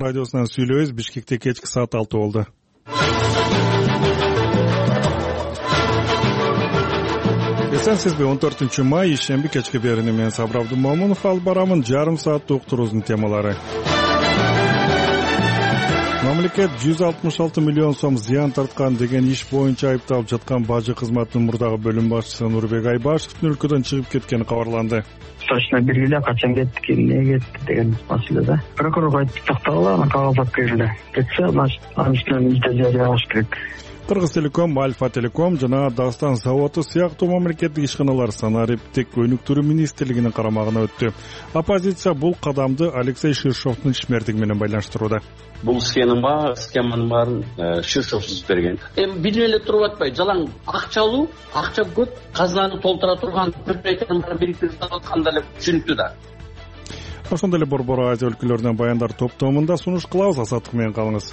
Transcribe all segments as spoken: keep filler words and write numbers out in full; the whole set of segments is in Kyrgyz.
радиосунан сүйлөбүз. Бишкекте кечки саат алты болду. Эсенсизби? он төртүнчү май ишемби кечки берини мен Сабыр Абдумомунов алып барамын. Жарым сааттык уктуруубуздун темалары. Мамлекет жүз алтымыш алты миллион сом зыян тарткан деген иш боюнча айыпталып жаткан бажы кызматынын мурдагы бөлүм башчысы Нурбек Айбашевдин өлкөдөн чыгып кеткени кабарланды. Точно белгилүү качан кетти, эмне кетти деген маселе да. Прокурор айтып тактагыла, анан кагаз алып келди. Кетсе, значит, анын үстүнөн изде жарыяш керек. Кыргыз Телеком, Альфа Телеком жана Дагыстан заводу сыяктуу мамлекеттик ишканалар санариптик өнүктүрүү министрлигинин карамагына өттү. Оппозиция бул кадамды Алексей Ширшовдун ишмердиги менен байланыштырууда. Бул схема, схеманын баарын Ширшов түзүп берген. Эми билип эле туруп атпай, жалаң акча алуу, акча көп, казынаны толтура турган көпөйтөрдүн баары бириктирип атканда эле түшүнүктүү да. Ошондой эле Борбор Азия өлкөлөрүнөн баяндар топтомунда сунуш кылабыз. Азаттык менен калыңыз.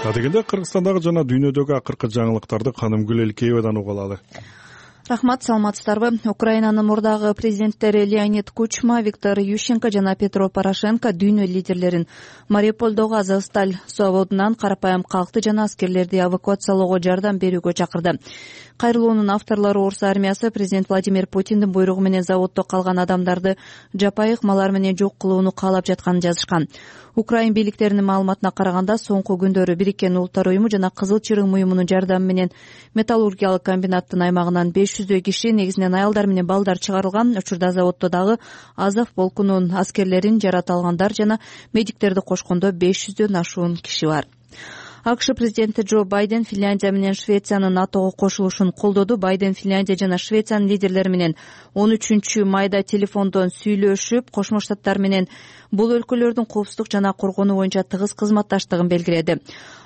Адегенде Кыргызстандагы жана дүйнөдөгү акыркы жаңылыктарды Канымгүл Элкеевадан угуп алалы. Рахмат, саламатсыздарбы? Украинанын мурдагы президенттери Леонид Кучма, Виктор Ющенко жана Петро Порошенко дүйнө лидерлерин Мариуполдогу Азовсталь заводунан карапайым калкты жана аскерлерди эвакуациялоого жардам берүүгө чакырды. Кайрылуунун авторлору Орус армиясы президент Владимир Путиндин буйругу менен заводдо калган адамдарды жапайы ыкмалар менен жок кылууну каалап жатканын жазышкан. Украин бийликтеринин маалыматына караганда, соңку күндөрү Бириккен Улуттар уюму жана Кызыл Чырым уюмунун жардамы менен металлургиялык комбинаттын аймагынан беш жүздөй киши, негизинен аялдар менен балдар чыгарылган. Учурда заводдо дагы Азов полкунун аскерлерин, жарата алгандар жана медиктерди кошкондо беш жүздөн ашуун киши бар. АКШ президенти Джо Байден Финляндия менен Швециянын НАТОго кошулушун колдоду. Байден Финляндия жана Швециянын лидерлери менен он үчүнчү майда телефондон сүйлөшүп, Кошмо Штаттар менен бул өлкөлөрдүн коопсуздук жана коргонуу боюнча тыгыз кызматташтыгын белгиледи.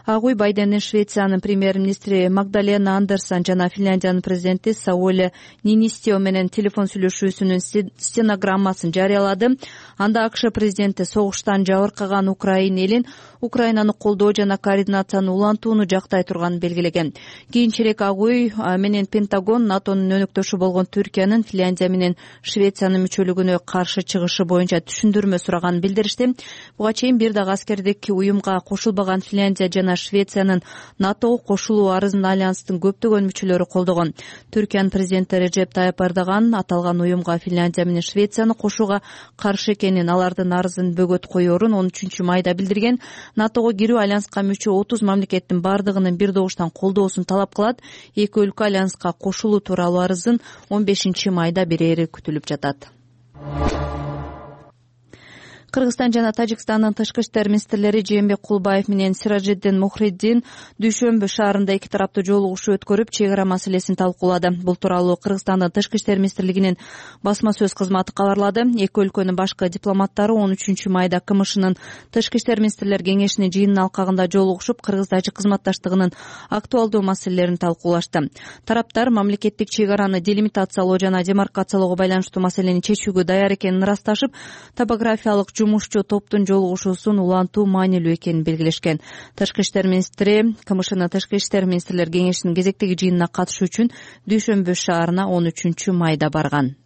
Ак үй Байдендин Швециянын премьер-министри Магдалена Андерсон жана Финляндиянын президенти Саули Нинистио менен телефон сүйлөшүүсүнүн стенограммасын жарыялады. Анда АКШ президенти согуштан жабыркаган Украин элин Украинаны колдоо жана координацияны улантууну жактай турганын белгилеген. Кийинчерээк Ак үй менен Пентагон НАТОнун өнөктөшү болгон Түркиянын Финляндия менен Швециянын мүчөлүгүнө каршы чыгышы боюнча түшүндүрмө сураганын билдиришти. Буга чейин бир дагы аскердик уюмга кошулбаган Финляндия жана Швециянын НАТОго кошулуу арызын альянстын көптөгөн мүчөлөрү колдогон. Түркиянын президенти Режеп Тайып Эрдоган аталган уюмга Финляндия менен Швецияны кошууга каршы экенин, алардын арызын бөгөт коерун он үчүнчү майда билдирген. НАТОго кирүү альянска мүчө отуз мамлекеттин бардыгынын бир добуштан колдоосун талап кылат. Эки өлкө альянска кошулуу тууралуу арызын он бешинчи майда берери күтүлүп жатат. Кыргызстан жана Тажикстандын тышкы иштер министрлери Жээнбек Кулбаев менен Сиражиддин Мухриддин Дүйшөмбү шаарында эки тараптуу жолугушуу өткөрүп, чек ара маселесин талкуулады. Бул тууралуу Кыргызстандын тышкы иштер министрлигинин басма сөз кызматы кабарлады. Эки өлкөнүн башкы дипломаттары он үчүнчү майда КМШнын тышкы иштер министрлер кеңешинин жыйынын алкагында жолугушуп, Кыргыз-Тажик кызматташтыгынын актуалдуу маселелерин талкуулашты. Тараптар мамлекеттик чек араны делимитациялоо жана демаркациялоого байланыштуу маселени чечүүгө даяр экенин ырасташып, топографиялык жумушчу топтун жолугушуусун улантуу маанилүү экенин белгилешкен. Тышкы иштер министри КМШнын тышкы иштер министрлер кеңешинин кезектеги жыйынына катышуу үчүн Дүйшөмбү шаарына он үчүнчү майда барган.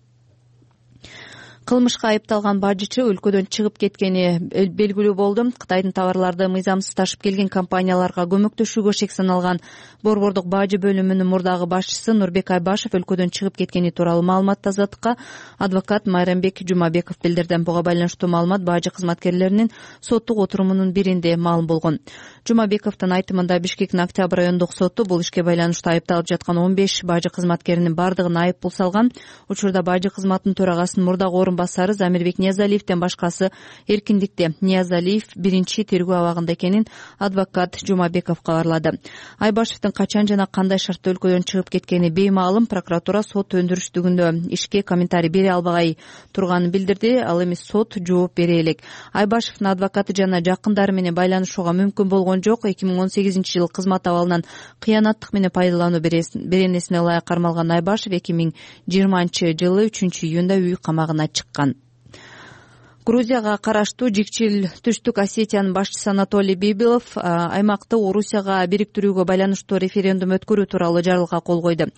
Кылмышка айыпталган бажычы өлкөдөн чыгып кеткени белгилүү болду. Кытайдын товарларды мыйзамсыз ташып келген компанияларга көмөктөшүүгө шек саналган Борбордук бажы бөлүмүнүн мурдагы башчысы Нурбек Айбашев өлкөдөн чыгып кеткени тууралуу маалыматты Азаттыкка адвокат Майрамбек Жумабеков билдирди. Буга байланыштуу маалымат бажы кызматкерлеринин соттук отурумунун биринде маалым болгон. Жумабековдун айтымында Бишкектин Октябрь райондук соту бул ишке байланыштуу айыпталып жаткан он беш бажы кызматкеринин бардыгына айып пул салган. Учурда бажы кызматынын төрагасынын мурдагы басары Замирбек Ниязалиевден башкасы эркиндикте. Ниязалиев биринчи тергөө абагында экенин адвокат Жумабеков кабарлады. Айбашевдин качан жана кандай шартта өлкөдөн чыгып кеткени беймаалым. Прокуратура сот өндүрүштүгүндө ишке комментарий бере албагай турганын билдирди. Ал эми сот жооп бере элек. Айбашевдин адвокаты жана жакындары менен байланышууга мүмкүн болгон жок. эки миң он сегизинчи жылы кызмат абалынан кыянаттык менен пайдалануу беренесине ылайык кармалган Айбашев эки миң жыйырманчы жылы үчүнчү июнда үй камагына чыккан. Грузияга караштуу Жикчил Түштүк Осетиянын башчысы Анатолий Бибилов аймакты Орусияга бириктирүүгө байланыштуу референдум өткөрүү тууралуу жарлыкка кол койду.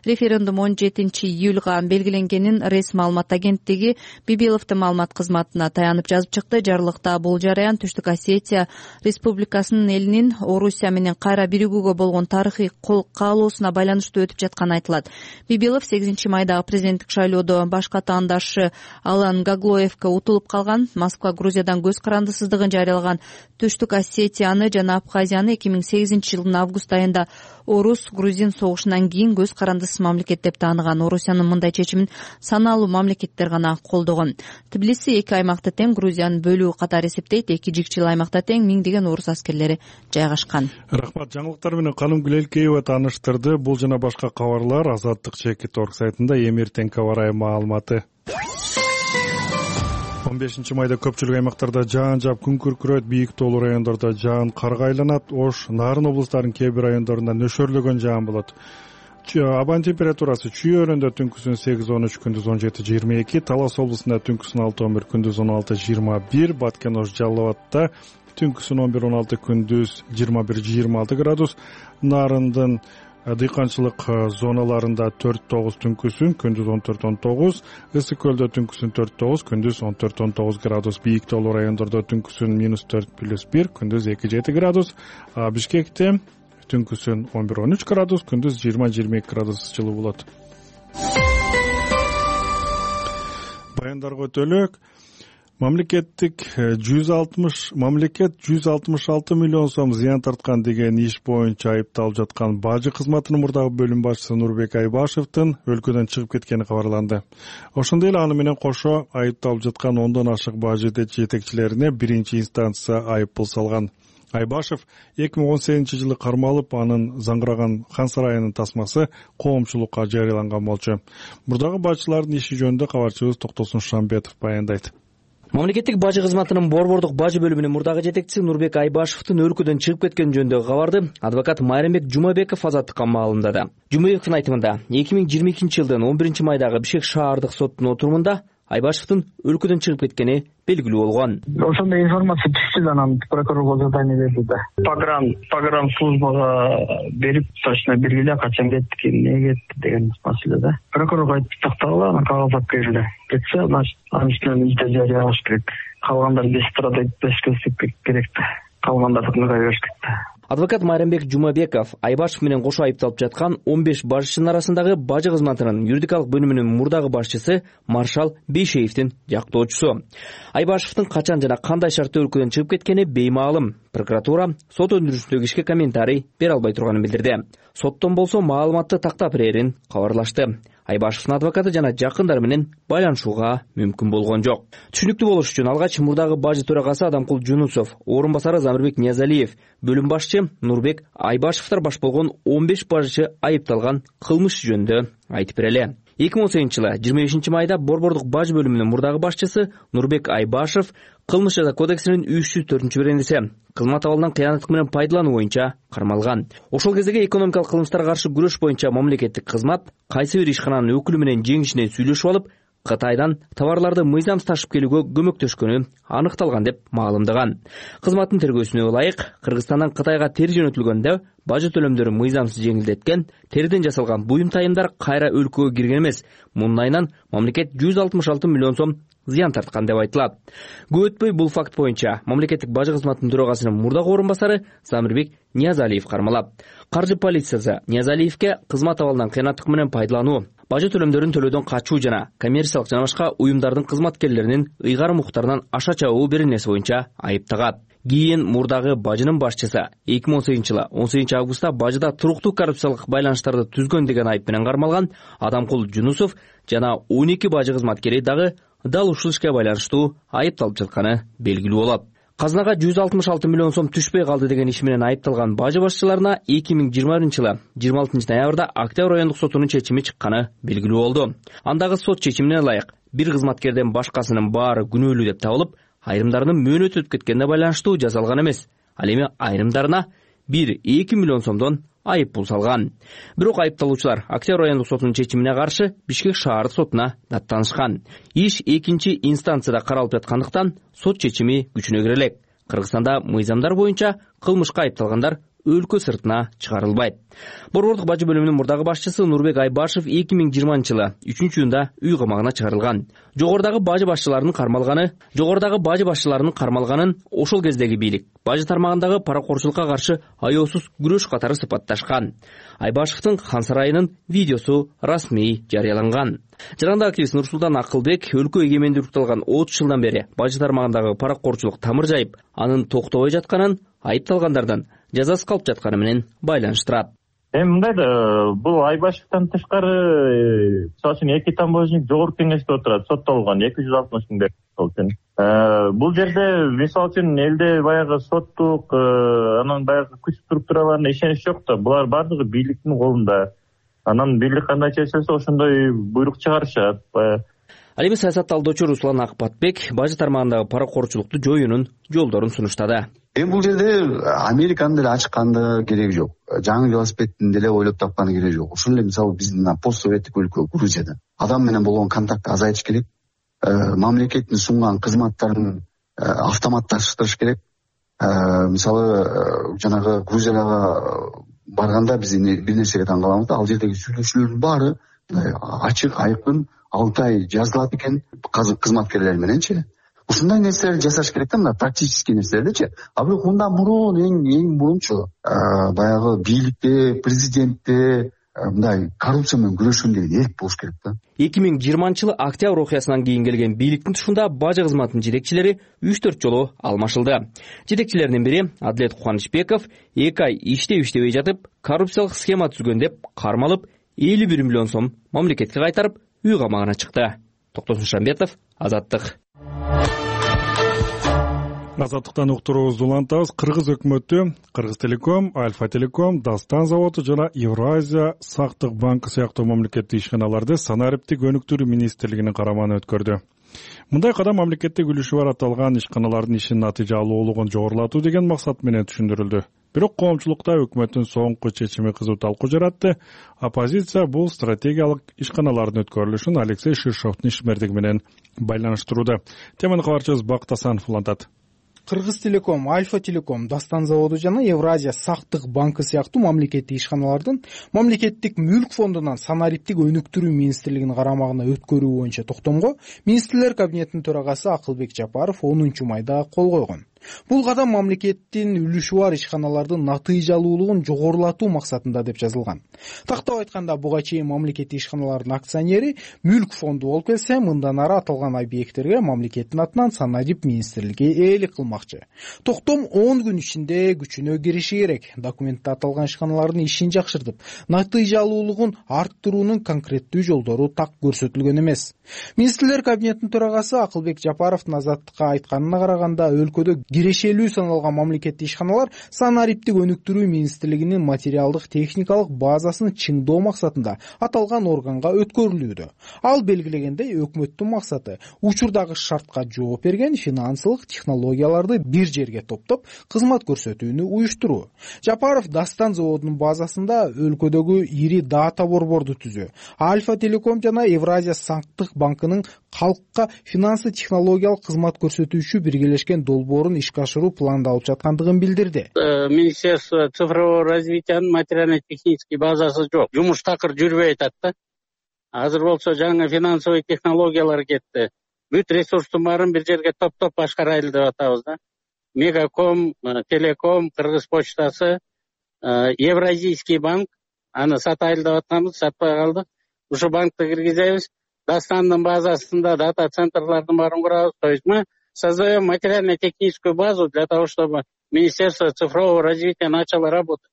Референдум он жетинчи июлга белгиленгенин РЕС маалымат агенттиги Бибиловдун маалымат кызматына таянып жазып чыкты. Жарлыкта бул жараян Түштүк Осетия Республикасынын элинин Орусия менен кайра биригүүгө болгон тарыхый каалоосуна байланыштуу өтүп жатканы айтылат. Бибилов сегизинчи майдагы президенттик шайлоодо баш катаандашы Алан Гаглоевке утулуп калган. Москва Грузиядан көз карандысыздыгын жарыялаган Түштүк Осетияны жана Абхазияны эки миң сегизинчи жылдын август айында орус-грузин согушунан кийин көз карандысыз мамлекет деп тааныган. Орусиянын мындай чечимин саналуу мамлекеттер гана колдогон. Тбилиси эки аймакты тең Грузиянын бөлүгү катары эсептейт. Эки жикчил аймакта тең миңдеген орус аскерлери жайгашкан. Рахмат. Жаңылыктар менен Каным Гүлелкеева тааныштырды. Бул жана башка кабарлар Азаттык чекит орг сайтында эми эртең кабар маалыматы. он бешинчи майда көпчүлүк аймактарда жаан жаап күн күркүрөйт, бийик тоолуу райондордо жаан карга айланат. Ош, Нарын облустарынын кээ бир райондорунда нөшөрлөгөн жаан болот. Абанын температурасы Чүй-Өрөндө түнкүсүн сегиз он үч, күндүз он жети жыйырма эки, Талас облусунда түнкүсүн алты он бир, күндүз он алты жыйырма бир, Баткен-Ош, Жалал Абадта түнкүсүн он бир он алты, күндүз жыйырма бир жыйырма алты градус, Нарындын дыйканчылык зоналарында төрт тогуз түнкүсүн, күндүз он төрт он тогуз, Ысык көлдө түнкүсүн төрт тогуз, күндүз он төрт он тогуз градус, бийик тоолуу райондордо түнкүсүн минус төрт плюс бир, күндүз эки жети градус, Бишкекте түнкүсүн он бир он үч градус, күндүз жыйырма жыйырма эки градус жылуу болот. Баяндарга өтөлөк. Мамлекеттик жүз алтымыш мамлекет жүз алтымыш алты миллион сом зыян тарткан деген иш боюнча айыпталып жаткан бажы кызматынын мурдагы бөлүм башчысы Нурбек Айбашевдин өлкөдөн чыгып кеткени кабарланды. Ошондой эле аны менен кошо айыпталып жаткан ондон ашык бажы жетекчилерине биринчи инстанция айыппул салган. Айбашев эки миң он сегизинчи жылы кармалып, анын заңгыраган Хан сарайынын тасмасы коомчулукка жарыяланган болчу. Мурдагы бажчылардын иши жөнүндө кабарчыбыз Токтосун Шамбетов баяндайт. Мамлекеттик бажы кызматынын борбордук бажы бөлүмүнүн мурдагы жетекчиси Нурбек Айбашевдин өлкөдөн чыгып кеткени жөнүндөгү кабарды адвокат Майрамбек Жумабеков Азаттыкка маалымдады. Жумабековдун айтымында эки миң жыйырма экинчи жылдын он биринчи майдагы Бишкек шаардык соттун отурумунда Айбашевдин өлкөдөн чыгып кеткени белгилүү болгон. Ошондой информация түштү да, анан прокурорго задание берди да. Погран погран службага берип, точно белгиле качан кетти, эмне кетти деген маселе да. Прокурорго айтып тактагыла, анан кагазат берилди. Кетсе, значит, анын үстүнөн изде жарыялаш керек. Калгандар без страдать, без көсөп керек да. Калгандардыкына бериш керек. Адвокат Майрамбек Жумабеков Айбашев менен кошо айыпталып жаткан он беш башчынын арасындагы бажы кызматынын юридикалык бөлүмүнүн мурдагы башчысы Маршал Бейшеевдин жактоочусу. Айбашевдин качан жана кандай шартта өлкөдөн чыгып кеткени беймаалым. Прокуратура сот өндүрүшүндөгү ишке комментарий бере албай турганын билдирди. Соттон болсо маалыматты тактап берерин кабарлашты. Айбашевдин адвокаты жана жакындары менен байланышууга мүмкүн болгон жок. Түшүнүктүү болуш үчүн алгач мурдагы бажы төрагасы Адамкул Жунусов, орун басары Замирбек Ниязалиев, бөлүм башчы Нурбек Айбашевдер баш болгон он беш бажчы айыпталган кылмыш жөнүндө айтып берели. эки миң он сегизинчи жылы жыйырма бешинчи майда борбордук бажы бөлүмүнүн мурдагы башчысы Нурбек Айбашев кылмыш жаза кодексинин үч жүз төртүнчү беренеси кызмат абалынан кыянаттык менен пайдалануу боюнча кармалган. Ошол кездеги экономикалык кылмыштарга каршы күрөш боюнча мамлекеттик кызмат кайсы бир ишкананын өкүлү менен жеңишине сүйлөшүп алып, Кытайдан товарларды мыйзамсыз ташып келүүгө көмөктөшкөнү аныкталган деп маалымдаган. Кызматтын тергөөсүнө ылайык, Кыргызстандан Кытайга тери жөнөтүлгөндө бажы төлөмдөрү мыйзамсыз жеңилдеткен, териден жасалган буюм тайымдар кайра өлкөгө кирген эмес. Мунун айынан мамлекет жүз алтымыш алты миллион сом зыян тарткан деп айтылат. Көп өтпөй бул факт боюнча мамлекеттик бажы кызматынын төрагасынын мурдагы орун басары Замирбек Ниязалиев кармалат. Каржы полициясы Ниязалиевке кызмат абалынан кыянаттык менен пайдалануу, бажы төлөмдөрүн төлөөдөн качуу жана коммерциялык жана башка уюмдардын кызматкерлеринин ыйгарым укуктарынан аша чабуу беренеси боюнча айыптагат. Кийин мурдагы бажынын башчысы эки миң он сегизинчи жылы он сегизинчи августта бажыда туруктуу коррупциялык байланыштарды түзгөн деген айып менен кармалган Адамкул Жунусов жана он эки бажы кызматкери дагы дал ушул ишке байланыштуу айыпталып жатканы белгилүү болот. Казынага жүз алтымыш алты миллион сом түшпөй калды деген иш менен айыпталган бажы башчыларына эки миң жыйырма биринчи жылы жыйырма алтынчы ноябрда Октябрь райондук сотунун чечими чыкканы белгилүү болду. Андагы сот чечимине ылайык бир кызматкерден башкасынын баары күнөөлүү деп табылып, айрымдарынын мөөнөтү өтүп кеткенине байланыштуу жазалган эмес. Ал эми айрымдарына бир эки миллион сомдон айып пул салган. Бирок айыпталуучулар Октябрь райондук сотунун чечимине каршы Бишкек шаардык сотуна даттанышкан. Иш экинчи инстанцияда каралып жаткандыктан сот чечими күчүнө кире элек. Кыргызстанда мыйзамдар боюнча кылмышка айыпталгандар өлкө сыртына чыгарылбайт. Борбордук бажы бөлүмүнүн мурдагы башчысы Нурбек Айбашев эки миң жыйырманчы жылы үчүнчү июнда үй камагына чыгарылган. Жогорудагы бажы башчыларынын кармалганы, жогорудагы бажы башчыларынын кармалганын ошол кездеги бийлик бажы тармагындагы паракорчулукка каршы аяосуз күрөш катары сыпатташкан. Айбашевдин Хан сарайынын видеосу расмий жарыяланган. Жарандык активист Нурсултан Акылбек өлкө эгемендүүлүктү алган отуз жылдан бери бажы тармагындагы паракорчулук тамыр жайып, анын токтобой жатканын, айыпталгандардан жазасыз калып жатканы менен байланыштырат. Эми мындай да, бул Айбашевден тышкары, мисалы үчүн эки тамбожник жогорку кеңеште отурат, соттолгон эки жүз алтымыш миң берип, мисалы үчүн. Бул жерде мисалы үчүн элде баягы соттук, анан баягы күч структураларына ишенич жок да. Булар баардыгы бийликтин колунда. Анан бийлик кандай чечилсе ошондой буйрук чыгарышат. Ал эми саясат талдоочу Руслан Акпатбек бажы тармагындагы паракорчулукту жоюунун жолдорун сунуштады. Эми бул жерде Американын деле ачканды кереги жок. Жаңы велосипедин деле ойлоп тапканы кереги жок. Ушул эле мисалы биздин постсоветтик өлкө Грузияда адам менен болгон контактты азайтыш керек. Мамлекеттин сунган кызматтарын автоматташтырыш керек. Мисалы жанагы Грузияга барганда биз бир нерсеге таң калабыз да, ал жердеги сүйлөшүүлөрдүн баары ачык, айкын, алтай жазылат экен кызматкерлер мененчи. Ушундай нерселерди жасаш керек да, мына практический нерселердичи. А бирок мындан мурун эң эң мурунчу баягы бийликте, президентте мындай коррупция менен күрөшкөн деген эрк болуш керек да. эки миң жыйырманчы жылы Октябрь окуясынан кийин келген бийликтин тушунда бажы кызматынын жетекчилери үч төрт жолу алмашылды. Жетекчилердин бири Адилет Кубанычбеков эки ай иштеп иштебей жатып, коррупциялык схема түзгөн деп кармалып, элүү бир миллион сом мамлекетке кайтарып, үй камагына чыкты. Токтосун Шамбетов, Азаттык. Азаттыктан уктуруубузду улантабыз. Кыргыз өкмөтү Кыргыз Телеком, Альфа Телеком, Дастан заводу жана Евразия сактык банкы сыяктуу мамлекеттик ишканаларды санариптик өнүктүрүү министрлигинин карамагына өткөрдү. Мындай кадам мамлекеттик үлүшү бар аталган ишканалардын ишин натыйжалуулугун жогорулатуу деген максат менен түшүндүрүлдү. Бирок коомчулукта өкмөттүн соңку чечими кызуу талкуу жаратты. Оппозиция бул стратегиялык ишканалардын өткөрүлүшүн Алексей Ширшовдун ишмердиги менен байланыштырууда. Теманы кабарчыбыз Бакыт Асанов улантат. Кыргыз Телеком, Альфа Телеком, Дастан заводу жана Евразия сактык банкы сыяктуу мамлекеттик ишканалардын мамлекеттик мүлк фондунан санариптик өнүктүрүү министрлигинин карамагына өткөрүү боюнча токтомго министрлер кабинетинин төрагасы Акылбек Жапаров онунчу майда кол койгон. Бул кадам мамлекеттин үлүшү бар ишканалардын натыйжалуулугун жогорулатуу максатында деп жазылган. Тактап айтканда, буга чейин мамлекеттик ишканалардын акционери мүлк фонду болуп келсе, мындан ары аталган объекттерге мамлекеттин атынан санарип министрлиги ээлик кылмакчы. Токтом он күн ичинде күчүнө кириши керек. Документте аталган ишканалардын ишин жакшыртып, натыйжалуулугун арттыруунун конкреттүү жолдору так көрсөтүлгөн эмес. Министрлер кабинетинин төрагасы Акылбек Жапаровдун Азаттыкка айтканына караганда, өлкөдө кирешелүү саналган мамлекеттик ишканалар санариптик өнүктүрүү министрлигинин материалдык техникалык базасын чыңдоо максатында аталган органга өткөрүлүүдө. Ал белгилегендей, өкмөттүн максаты учурдагы шартка жооп берген финансылык технологияларды бир жерге топтоп, кызмат көрсөтүүнү уюштуруу. Жапаров Дастан заводунун базасында өлкөдөгү ири дата борборду түзүү, Альфа Телеком жана Евразия сактык банкынын калкка финансы технологиялык кызмат көрсөтүүчү биргелешкен долбоорун ишке ашыруу пландалып жаткандыгын билдирди. Министерство цифрового развитиянын материально-технический базасы жок. Жумуш такыр жүрбөй атат да. Азыр болсо жаңы финансовый технологиялар кетти. Бүт ресурстун баарын бир жерге топтоп башкарайлы деп атабыз да. Мегаком, Телеком, Кыргыз почтасы, Евразийский банк, аны сатайлы деп атканбыз, сатпай калдык. Ушу банкты киргизебиз. Дастандын базасында дата центрлардын баарын курабыз. То есть мы создаем материально-техническую базу для того, чтобы Министерство цифрового развития начало работать.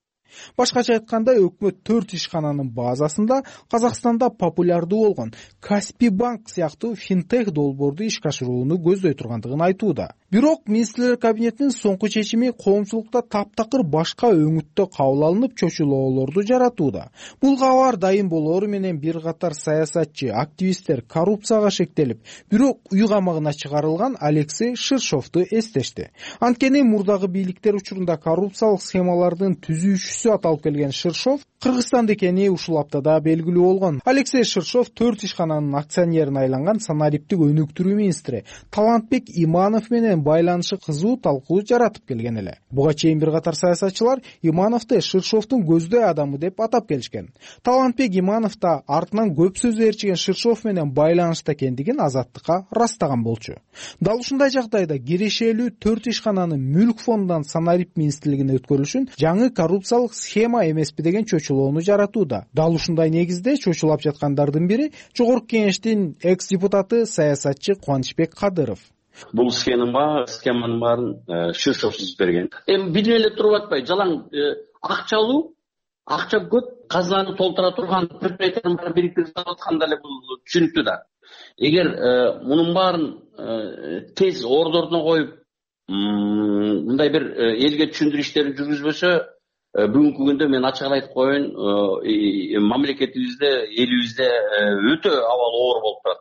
Башкача айтканда, өкмөт төрт ишкананын базасында Казакстанда популярдуу болгон Каспий банк сыяктуу финтех долбоорду ишке ашырууну көздөй тургандыгын айтууда. Бирок министрлер кабинетинин соңку чечими коомчулукта таптакыр башка өңүттө кабыл алынып, чочулоолорду жаратууда. Бул кабар дайым болоору менен бир катар саясатчы, активисттер коррупцияга шектелип, бирок үй камагына чыгарылган Алексей Ширшовду эстешти. Анткени мурдагы бийликтер учурунда коррупциялык схемалардын түзүүчүсү жетекчиси аталып келген Ширшов Кыргызстанда экени ушул аптада белгилүү болгон. Алексей Ширшов төрт ишкананын акционерине айланган санариптик өнүктүрүү министри Талантбек Иманов менен байланышы кызуу талкуу жаратып келген эле. Буга чейин бир катар саясатчылар Имановду Ширшовдун көздөй адамы деп атап келишкен. Талантбек Иманов да артынан көп сөз ээрчиген Ширшов менен байланышта экендигин Азаттыкка ырастаган болчу. Дал ушундай жагдайда кирешелүү төрт ишкананын мүлк фондунан санарип министрлигине өткөрүлүшүн жаңы коррупциялык схема эмеспи деген чочулоону жаратууда. Дал ушундай негизде чочулап жаткандардын бири Жогорку Кеңештин экс депутаты саясатчы Кубанычбек Кадыров. Бул схема схеманын баарын Ширшов түзүп берген. Эми билип эле туруп атпай, жалаң акча алуу, акча көп, казынаны толтура турган предприятиянын баарын бириктирип атканда эле бул түшүнүктүү да. Эгер мунун баарын тез ордоруна коюп, мындай бир элге түшүндүрүү иштерин жүргүзбөсө, бүгүнкү күндө мен ачык айтып коеюн, мамлекетибизде, элибизде өтө абал оор болуп турат.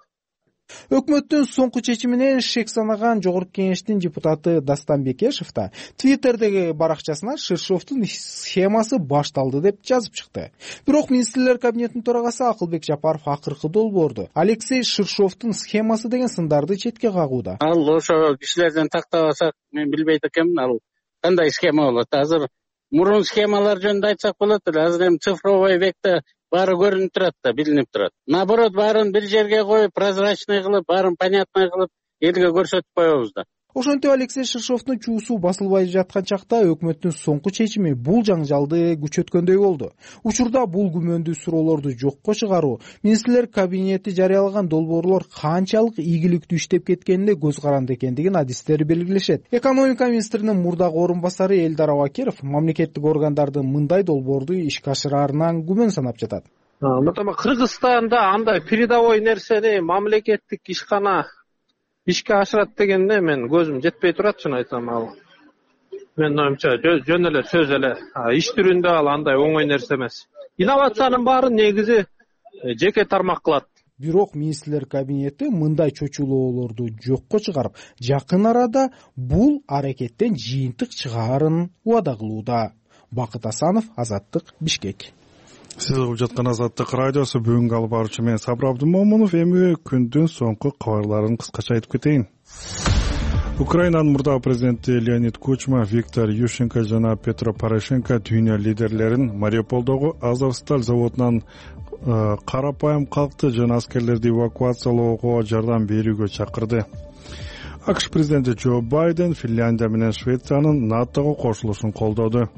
Өкмөттүн соңку чечиминен шек санаган Жогорку Кеңештин депутаты Дастан Бекешев да Твиттердеги баракчасына Ширшовдун схемасы башталды деп жазып чыкты. Бирок министрлер кабинетинин төрагасы Акылбек Жапаров акыркы долбоорду Алексей Ширшовдун схемасы деген сындарды четке кагууда. Ал ошо кишилерден тактабасак, мен билбейт экенмин, ал кандай схема болот. Азыр мурун схемалар жөнүндө айтсак болот эле. Азыр эми цифровой векте баары көрүнүп турат да, билинип турат. Наоборот, баарын бир жерге коюп, прозрачный кылып, баарын понятный кылып, элге көрсөтүп коебуз да. Ошентип Алексей Ширшовдун чуусу басылбай жаткан чакта өкмөттүн соңку чечими бул жаңжалды күчөткөндөй болду. Учурда бул күмөндүү суроолорду жокко чыгаруу, министрлер кабинети жарыялаган долбоорлор канчалык ийгиликтүү иштеп кеткенине көз каранды экендигин адистер белгилешет. Экономика министринин мурдагы орун басары Элдар Абакиров мамлекеттик органдардын мындай долбоорду ишке ашыраарынан күмөн санап жатат. Мынтама Кыргызстанда андай передовой нерсени мамлекеттик ишкана ишке ашырат дегенде мен көзүм жетпей турат, чын айтсам. Ал менин оюмча жөн эле сөз эле, иш түрүндө ал андай оңой нерсе эмес. Инновациянын баарын негизи жеке тармак кылат. Бирок министрлер кабинети мындай чочулоолорду жокко чыгарып, жакын арада бул аракеттен жыйынтык чыгаарын убада кылууда. Бакыт Асанов, Азаттык, Бишкек. Сиз угуп жаткан Азаттык радиосу. Бүгүнкү алып баруучу мен Сабыр Абдымомунов. Эми күндүн соңку кабарларын кыскача айтып кетейин. Украинанын мурдагы президенти Леонид Кучма, Виктор Ющенко жана Петро Порошенко дүйнө лидерлерин Мариуполдогу Азовсталь заводунан карапайым калкты жана аскерлерди эвакуациялоого жардам берүүгө чакырды. АКШ президенти Джо Байден Финляндия менен Швециянын НАТОго кошулушун колдоду.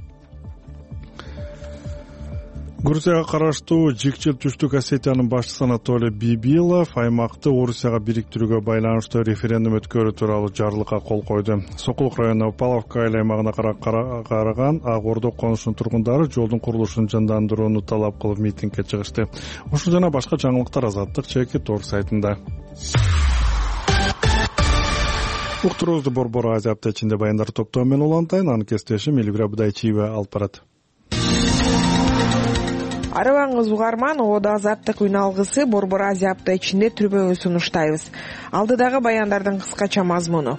Грузияга караштуу Жикчил Түштүк Осетиянын башчысы Анатолий Бибилов аймакты Орусияга бириктирүүгө байланыштуу референдум өткөрүү тууралуу жарлыкка кол койду. Сокулук районунун Паловка айыл аймагына караган Ак Ордо конушунун тургундары жолдун курулушун жандандырууну талап кылып митингге чыгышты. Ушул жана башка жаңылыктар Азаттык чеки тор сайтында. Уктуруубузду Борбор Азия апта ичинде баяндар топтоо менен улантайын. Анын кесиптешим Элвира Будайчиева алып барат. Арыбаңыз угарман, Оодо Азаттык үн алгысы Борбор Азия апта ичинде түрбөңү сунуштайбыз. Алдыдагы баяндардын кыскача мазмуну.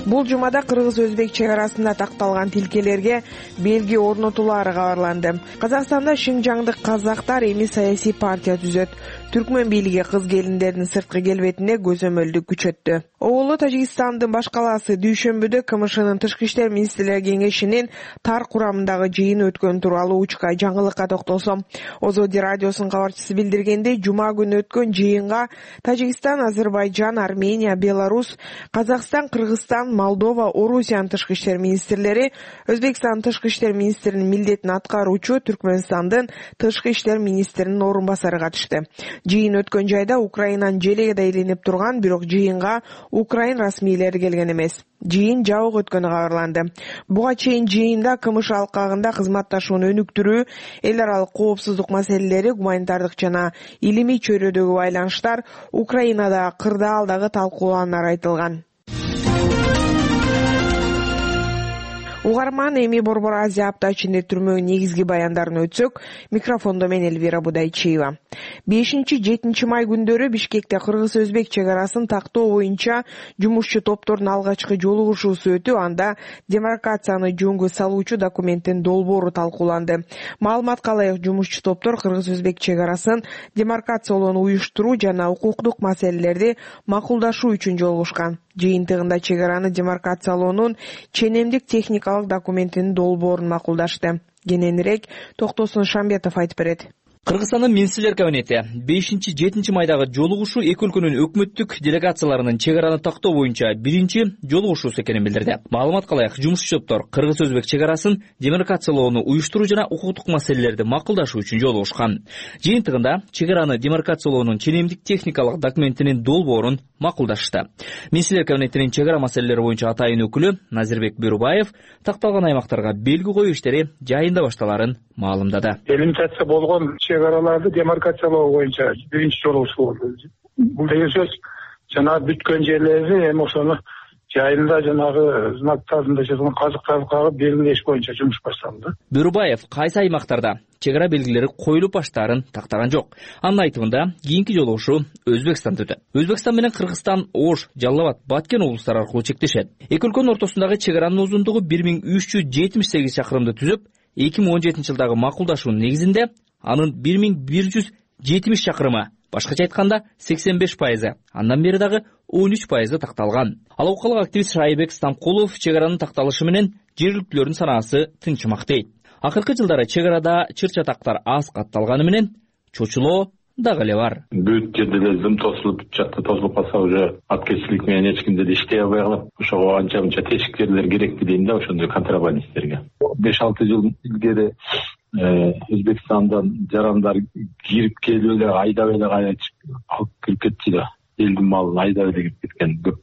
Бул жумада кыргыз-өзбек чек арасында такталган тилкелерге белги орнотулары кабарланды. Казакстанда Шинжаңдык казактар эми саясий партия түзөт. Түркмөн бийлиги кыз келиндердин сырткы келбетине көзөмөлдү күчөттү. Оолу Тажикстандын баш калаасы дүйшөмбүдө КМШнын Тышкы иштер министрлери кеңешинин тар курамындагы жыйын өткөн тууралуу учка жаңылыкка токтолсом, Озоди радиосунун кабарчысы билдиргендей, жума күнү өткөн жыйынга Тажикстан, Азербайжан, Армения, Беларусь, Казакстан, Кыргызстан, Молдова, Орусиянын тышкы иштер министрлери, Өзбекстандын тышкы иштер министринин милдетин аткаруучу Түркмөнстандын тышкы иштер министринин орун басары катышты. Жыйын өткөн жайда Украинанын желеги да илинип турган, бирок жыйынга Украин расмийлери келген эмес. Жыйын жабык өткөнү кабарланды. Буга чейин жыйында КМШ алкагында кызматташууну өнүктүрүү, эл аралык коопсуздук маселелери, гуманитардык жана илимий чөйрөдөгү байланыштар, Украинада кырдаалдагы талкуулаандар айтылган. Угар угарман, эми Борбор Азия апта ичинде түрмөгүн негизги баяндарын өтсөк, микрофондо мен Элвира Будайчиева. бешинчи жетинчи май күндөрү Бишкекте кыргыз-өзбек чек арасын тактоо боюнча жумушчу топтордун алгачкы жолугушуусу өтүп, анда демаркацияны жөнгө салуучу документтин долбоору талкууланды. Маалыматка ылайык, жумушчу топтор кыргыз-өзбек чек арасын демаркациялоону уюштуруу жана укуктук маселелерди макулдашуу үчүн жолугушкан. Жыйынтыгында чек араны демаркациялоонун ченемдик техникалык документинин долбоорун макулдашты. Кененирээк Токтосун Шамбетов айтып берет. Кыргызстандын Министрлер кабинети бешинчи жетинчи майдагы жолугушуу эки өлкөнүн өкмөттүк делегацияларынын чек араны тактоо боюнча биринчи жолугушуусу экенин билдирди. Маалыматка ылайык, жумушчу топтор кыргыз-өзбек чек арасын демаркациялоону уюштуруу жана укуктук маселелерди макулдашуу үчүн жолугушкан. Жыйынтыгында чек араны демаркациялоонун ченемдик техникалык документинин долбоорун макулдашты. Министрлер кабинетинин чек ара маселелери боюнча атайын өкүлү Назирбек Бюрубаев такталган аймактарга белги коюу иштери жайында башталарын маалымдады. Делимитация болгон чек араларды демаркациялоо боюнча биринчи жолугушуу болду. Бул деген сөз жана бүткөн жерлерди эми ошону жайында жанагы знактарында жазган казыктарды кагып белгилеш боюнча жумуш башталды. Бюрубаев кайсы аймактарда чек ара белгилери коюлуп баштаарын тактаган жок. Анын айтымында, кийинки жолугушуу Өзбекстанда өтөт. Өзбекстан менен Кыргызстан Ош, Жалал Абад, Баткен облустары аркылуу чектешет. Эки өлкөнүн ортосундагы чек аранын узундугу бир миң үч жүз жетимиш сегиз чакырымды түзүп, эки миң он жетинчи жылдагы макулдашуунун негизинде анын бир миң бир жүз жетимиш чакырымы, башкача айтканда сексен беш пайызы, андан бери дагы он үч пайызы такталган. Ал окалык активист Шайбек Стамкулов чек аранын такталышы менен жергиликтүүлөрдүн санаасы тынчымак дейт. Акыркы жылдары чек арада чыр-чатактар аз катталганы менен чочулоо дагы эле бар. Бүт жерде эле зым тосулуп, жакта тосулуп калса уже аткеччилик менен эч ким деле иштей албай калат. Ошого анча мынча тешикчилер керек дейм да, ошондой контрабандисттерге. беш алты жыл илгери Өзбекстандан жарандар кирип келип эле айдап эле кайтып алып кирип кетчү да. Элдин малын айдап эле кирип кеткен көп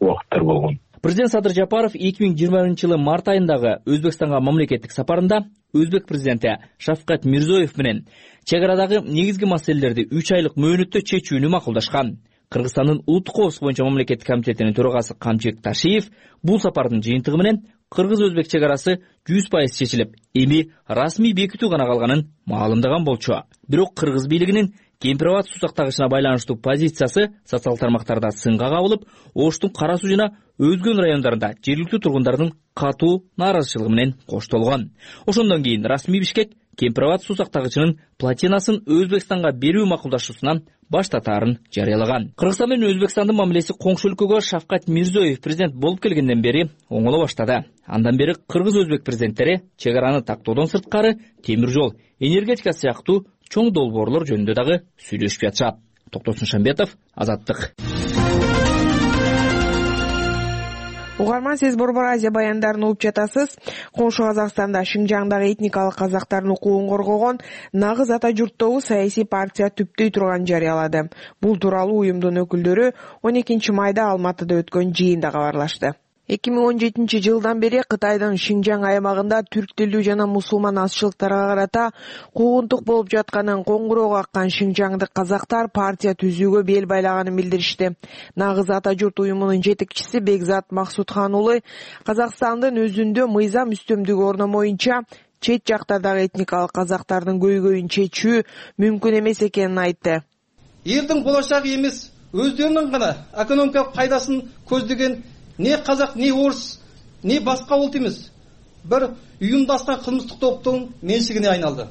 убакыттар болгон. Президент Садыр Жапаров эки миң жыйырма биринчи жылы март айындагы Өзбекстанга мамлекеттик сапарында Өзбек президенти Шавкат Мирзиёев менен чек арадагы негизги маселелерди үч айлык мөөнөттө чечүүнү макулдашкан. Кыргызстандын улуттук коопсуздук боюнча мамлекеттик комитетинин төрагасы Камчек Ташиев бул сапардын жыйынтыгы менен кыргыз-өзбек чек арасы жүз пайыз чечилип, эми расмий бекитүү гана калганын маалымдаган болчу. Бирок кыргыз бийлигинин Кемпир-Абад суу сактагычына байланыштуу позициясы социалдык тармактарда сынга кабылып, Оштун Кара суу жана өзгөн райондарында жергиликтүү тургундардын катуу нааразычылыгы менен коштолгон. Ошондон кийин расмий Бишкек Кемпир-Абад суу сактагычынын плотинасын Өзбекстанга берүү макулдашуусунан баш тартаарын жарыялаган. Кыргызстан менен Өзбекстандын мамилеси коңшу өлкөгө Шавкат Мирзиёев президент болуп келгенден бери оңоло баштады. Андан бери кыргыз-өзбек президенттери чек араны тактоодон сырткары темир жол, энергетика сыяктуу чоң долбоорлор жөнүндө дагы сүйлөшүп жатышат. Токтосун Шамбетов, Азаттык. Угарман, сиз Борбор Азия баяндарын угуп жатасыз. Коңшу Казакстанда Шинжаңдагы этникалык казактардын укугун коргогон Нагыз ата журттобу саясий партия түптөй турганын жарыялады. Бул тууралуу уюмдун өкүлдөрү он экинчи майда Алматыда өткөн жыйында кабарлашты. эки миң он жетинчи жылдан бери Кытайдын Шинжаң аймагында түрк тилдүү жана мусулман азчылыктарга карата куугунтук болуп жатканын коңгуроо каккан шинжаңдык казактар партия түзүүгө бел байлаганын билдиришти. Нагыз ата журт уюмунун жетекчиси Бекзат Максутхан уулу Казакстандын өзүндө мыйзам үстөмдүгү орномоюнча чет жактардагы этникалык казактардын көйгөйүн чечүү мүмкүн эмес экенин айтты. Элдин болочогу эмес, өздөрүнүн гана экономикалык пайдасын көздөгөн не казак, не орус, не башка улут эмес, бир уюмдашкан кылмыштык топтун меншигине айналды.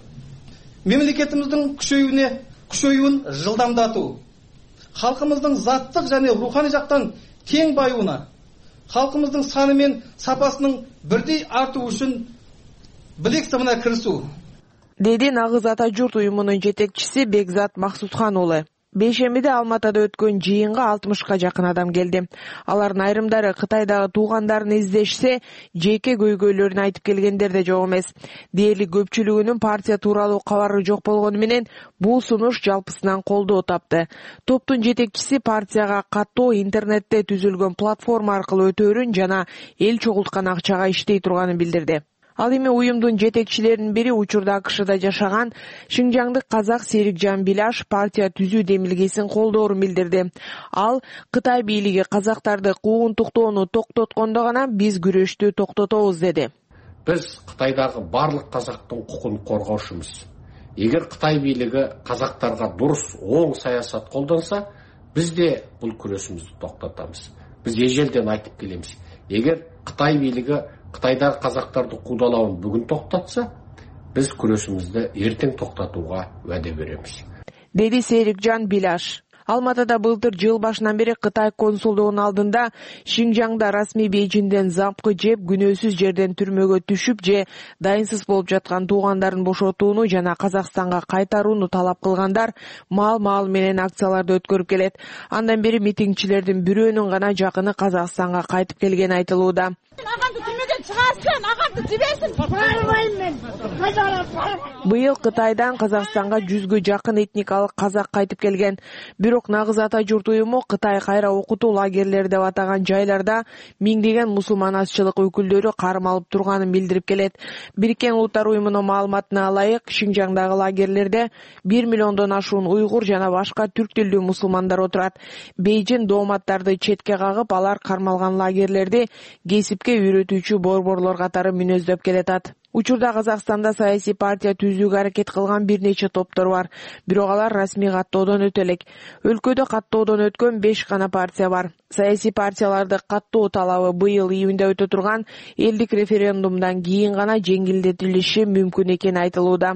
Мемлекетибиздин күчөйүүнө күчөйүүн жылдамдатуу, халкыбыздын заттык жана руханий жактан тең байууна, халкыбыздын саны менен сапасынын бирдей артуу үчүн билек сымына киришүү, деди Нагыз ата журт уюмунун жетекчиси Бекзат Максутхан уулу. Бейшембиде Алматыда өткөн жыйынга алтымышка жакын адам келди. Алардын айрымдары Кытайдагы туугандарын издешсе, жеке көйгөйлөрүн айтып келгендер да жок эмес. Дээрлик көпчүлүгүнүн партия тууралуу кабары жок болгону менен бул сунуш жалпысынан колдоо тапты. Топтун жетекчиси партияга каттоо интернетте түзүлгөн платформа аркылуу өтөөрүн жана эл чогулткан акчага иштей турганын билдирди. Ал эми уюмдун жетекчилеринин бири учурда АКШда жашаган Шинжаңдык казак Серикжан Биляш партия түзүү демилгесин колдоорун билдирди. Ал Кытай бийлиги казактарды куугунтуктоону токтоткондо гана биз күрөштү токтотобуз деди. Биз Кытайдагы барлык казактын укугун коргоушубуз. Эгер Кытай бийлиги казактарга дурус, оң саясат колдонса, биз де бул күрөшүбүздү токтотобуз. Биз эжелден айтып келебиз. Эгер Кытай бийлиги Кытайдагы казактарды куудалауын бүгүн токтотса, биз күрөшүбүздү эртең токтотууга ваде беребиз, деди Серикжан Биляш. Алматыда былтыр жыл башынан бери Кытай консулдугунун алдында Шинжаңда расмий Бейжиңден запкы жеп, күнөөсүз жерден түрмөгө түшүп же дайынсыз болуп жаткан туугандарын бошотууну жана Казакстанга кайтарууну талап кылгандар мал-мал менен акцияларды өткөрүп келет. Андан бери митингчилердин бирөөнүн гана жакыны Казакстанга кайтып келгени айтылууда. Агамды түрмөдөн чыгарсын, агамды жибесин. Барбайм мен. Быйыл Кытайдан Казакстанга жүзгө жакын этникалык казак кайтып келген. Бирок нагыз ата журт уюму Кытай кайра окутуу лагерлери деп атаган жайларда миңдеген мусулман азчылык өкүлдөрү кармалып турганын билдирип келет. Бириккен Улуттар уюмунун маалыматына ылайык, Шинжаңдагы лагерлерде бир миллиондон ашуун уйгур жана башка түрк тилдүү мусулмандар отурат. Бейжиң дооматтарды четке кагып, алар кармалган лагерлерди кесипке үйрөтүүчү борборлор катары мүнөздөп келатат. Учурда Казакстанда саясий партия түзүүгө аракет кылган бир нече топтор бар, бирок алар расмий каттоодон өтө элек. Өлкөдө каттоодон өткөн беш гана партия бар. Саясий партияларды каттоо талабы быйыл июнда өтө турган элдик референдумдан кийин гана жеңилдетилиши мүмкүн экени айтылууда.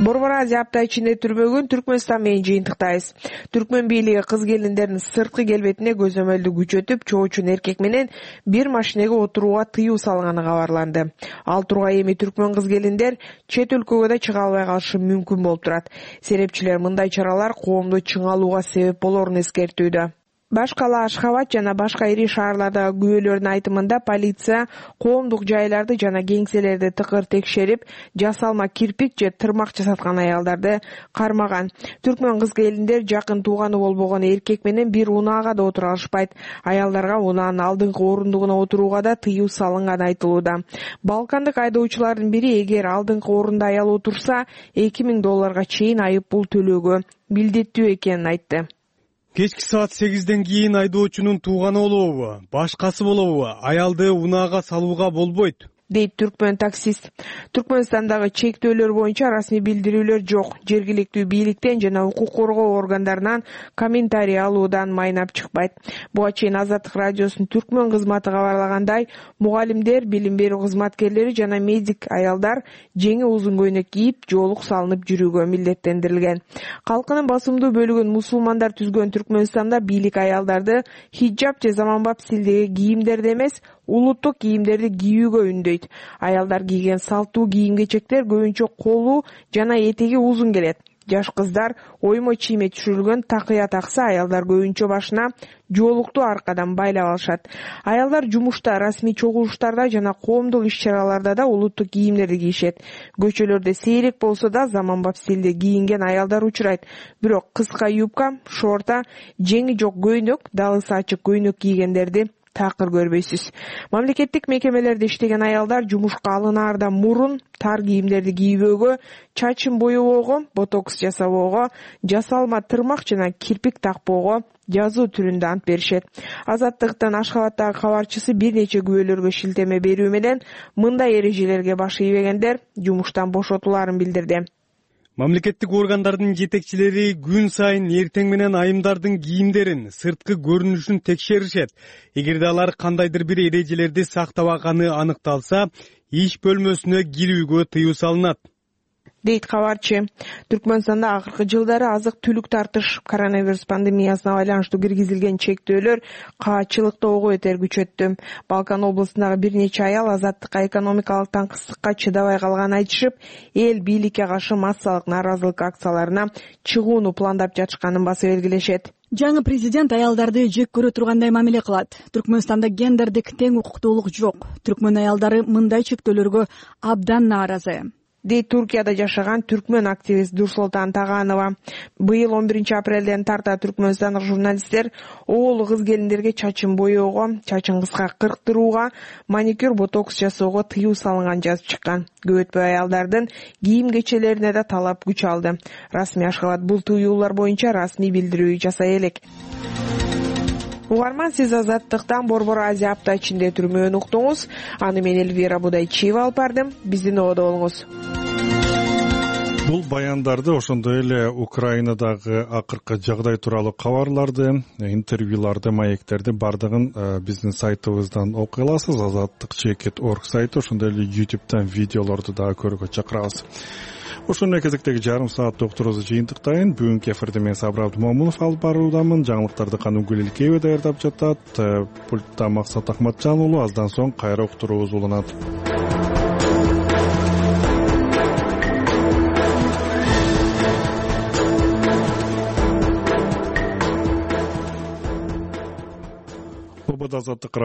Борбор Азия апта ичинде түрмөгүн Түркмөнстан менен жыйынтыктайбыз. Түркмөн бийлиги кыз келиндердин сырткы келбетине көзөмөлдү күчөтүп, чоочун эркек менен бир машинеге отурууга тыюу салганы кабарланды. Ал тургай эми түркмөн кыз келиндер чет өлкөгө да чыга албай калышы мүмкүн болуп турат. Серепчилер мындай чаралар коомду чыңалууга себеп болорун эскертүүдө. Башкала Ашхабад жана башка ири шаарлардагы күбөлөрдүн айтымында полиция коомдук жайларды жана кеңселерди тыкыр текшерип, жасалма кирпик же тырмак жасаткан аялдарды кармаган. Түркмөн кыз келиндер жакын тууганы болбогон эркек менен бир унаага да отура алышпайт. Аялдарга унаанын алдыңкы орундугуна отурууга да тыюу салынганы айтылууда. Балкандык айдоочулардын бири эгер алдыңкы орунда аял отурса, эки миң долларга чейин айып пул төлөөгө милдеттүү экенин айтты. Кечки саат сегизден кийин айдоочунун тууганы болобу, башкасы болобу, аялды унаага салууга болбойт, дейт түркмөн таксист. Түркмөнстандагы чектөөлөр боюнча расмий билдирүүлөр жок. Жергиликтүү бийликтен жана укук коргоо органдарынан комментарий алуудан майнап чыкпайт. Буга чейин Азаттык радиосунун түркмөн кызматы кабарлагандай, мугалимдер, билим берүү кызматкерлери жана медик аялдар жеңи узун көйнөк кийип, жоолук салынып жүрүүгө милдеттендирилген. Калкынын басымдуу бөлүгүн мусулмандар түзгөн Түркмөнстанда бийлик аялдарды хиджаб же заманбап стилдеги кийимдерди эмес, улуттук кийимдерди кийүүгө үндөйт. Аялдар кийген салттуу кийим-кечектер көбүнчө колу жана этеги узун келет. Жаш кыздар оймо чийме түшүрүлгөн такыя такса, аялдар көбүнчө башына жоолукту аркадан байлап алышат. Аялдар жумушта, расмий чогулуштарда жана коомдук иш-чараларда да улуттук кийимдерди кийишет. Көчөлөрдө сейрек болсо да заманбап стилде кийинген аялдар учурайт. Бирок кыска юбка, шорта, жеңи жок көйнөк, далысы ачык көйнөк кийгендерди такыр көрбөйсүз. Мамлекеттик мекемелерде иштеген аялдар жумушка алынаардан мурун тар кийимдерди кийбөөгө, чачын боебоого, ботокс жасабоого, жасалма тырмак жана кирпик такпоого жазуу түрүндө ант беришет. Азаттыктын Ашхабадтагы кабарчысы бир нече күбөлөргө шилтеме берүү менен мындай эрежелерге баш ийбегендер жумуштан бошотуларын билдирди. Мамлекеттик органдардын жетекчилери күн сайын эртең менен айымдардын кийимдерин, сырткы көрүнүшүн текшеришет. Эгерде алар кандайдыр бир эрежелерди сактабаганы аныкталса, иш бөлмөсүнө кирүүгө тыюу салынат, дейт кабарчы. Түркмөнстанда акыркы жылдары азык түлүк тартыш, коронавирус пандемиясына байланыштуу киргизилген чектөөлөр каачылыкты ого бетер күчөттү. Балкан облусундагы бир нече аял азаттыкка экономикалык таңкыстыкка чыдабай калганын айтышып, эл бийликке каршы массалык нааразылык акцияларына чыгууну пландап жатышканын баса белгилешет. Жаңы президент аялдарды жек көрө тургандай мамиле кылат. Түркмөнстанда гендердик тең укуктуулук жок. Түркмөн аялдары мындай чектөөлөргө абдан нааразы, дейт Туркияда жашаган түркмөн активист Дурсултан Таганова. Быйыл он биринчи апрелден тарта түркмөнстандык журналисттер оолу кыз келиндерге чачын боеого, чачын кыска кырктырууга, маникюр, ботокс жасоого тыюу салынган жазып чыккан. Көп өтпөй аялдардын кийим-кечелерине да талап күч алды. Расмий Ашхабад бул тыюулар боюнча расмий билдирүү жасай элек. угарман, сиз Азаттыктан Борбор Азия апта ичинде түрмөөнү уктуңуз. Аны мен Элвира Будайчиева алып бардым. Биздин ободо болуңуз. Бул баяндарды, ошондой эле Украинадагы акыркы жагдай тууралуу кабарларды, интервьюларды, маектерди бардыгын биздин сайтыбыздан окуй аласыз. азаттык чекит точка орг сайты, ошондой эле ютубтан видеолорду дагы көрүүгө чакырабыз. Ошондой кезектеги жарым саат уктуруубузду жыйынтыктайын. Бүгүнкү эфирди мен Сабыр Абдымомунов алып баруудамын. Жаңылыктарды Канугүл Илкеева даярдап жатат. Пультта Максат Ахматжан уулу. Аздан соң кайра уктуруубуз уланат. Азаттык